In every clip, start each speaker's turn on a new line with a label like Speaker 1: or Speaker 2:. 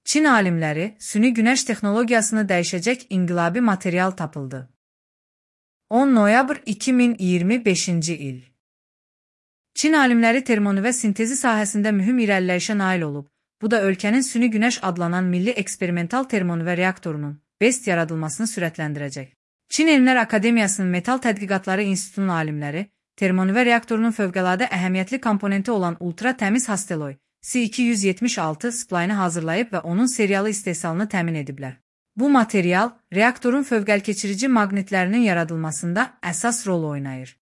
Speaker 1: Çin alimləri süni günəş texnologiyasını dəyişəcək inqilabi material tapıldı. 10 noyabr 2025-ci il. Çin alimləri termonüvə sintezi sahəsində mühüm irəliləyişə nail olub. Bu da ölkənin süni günəş adlanan milli eksperimental termonüvə reaktorunun BEST yaradılmasını sürətləndirəcək. Çin Elmlər Akademiyasının Metal Tədqiqatları İnstitutunun alimləri termonüvə reaktorunun fövqəladə əhəmiyyətli komponenti olan ultra təmiz hasteloy C276 splayını hazırlayıb və onun seriyalı istehsalını təmin ediblər. Bu material reaktorun fövqəlkeçirici maqnitlərinin yaradılmasında əsas rol oynayır.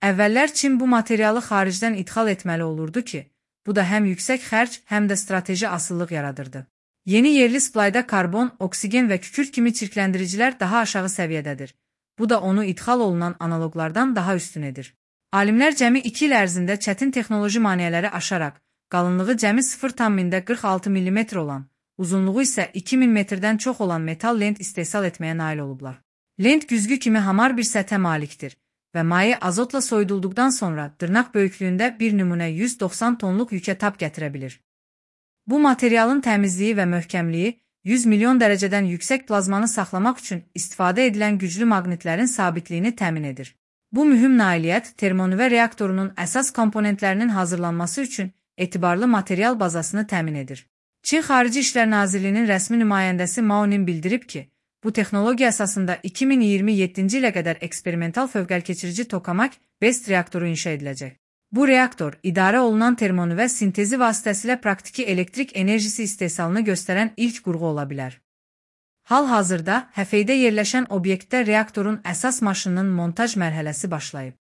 Speaker 1: Əvvəllər Çin bu materialı xaricdən idxal etməli olurdu ki, bu da həm yüksək xərc, həm də strateji asıllıq yaradırdı. Yeni yerli splayda karbon, oksigen və kükürt kimi çirkləndiricilər daha aşağı səviyyədədir. Bu da onu idxal olunan analoqlardan daha üstün edir. Alimlər cəmi 2 il ərzində çətin texnoloji maneələri aşaraq, qalınlığı cəmi 0,46 mm olan, uzunluğu isə 2000 metrdən çox olan metal lent istehsal etməyə nail olublar. Lent güzgü kimi hamar bir səthə malikdir və maye azotla soyudulduqdan sonra dırnaq böyüklüyündə bir nümunə 190 tonluq yükə tab gətirə bilir. Bu materialın təmizliyi və möhkəmliyi 100 milyon dərəcədən yüksək plazmanı saxlamaq üçün istifadə edilən güclü maqnitlərin sabitliyini təmin edir. Bu mühüm nailiyyət termonüvə reaktorunun əsas komponentlərinin hazırlanması üçün etibarlı material bazasını təmin edir. Çin Xarici İşlər Nazirliyinin rəsmi nümayəndəsi Mao Ning bildirib ki, bu texnologiya əsasında 2027-ci ilə qədər eksperimental fövqəlkeçirici tokamak BEST reaktoru inşa ediləcək. Bu reaktor, idarə olunan termonüvə sintezi vasitəsilə praktiki elektrik enerjisi istehsalını göstərən ilk qurğu ola bilər. Hal-hazırda Həfeydə yerləşən obyektdə reaktorun əsas maşınının montaj mərhələsi başlayıb.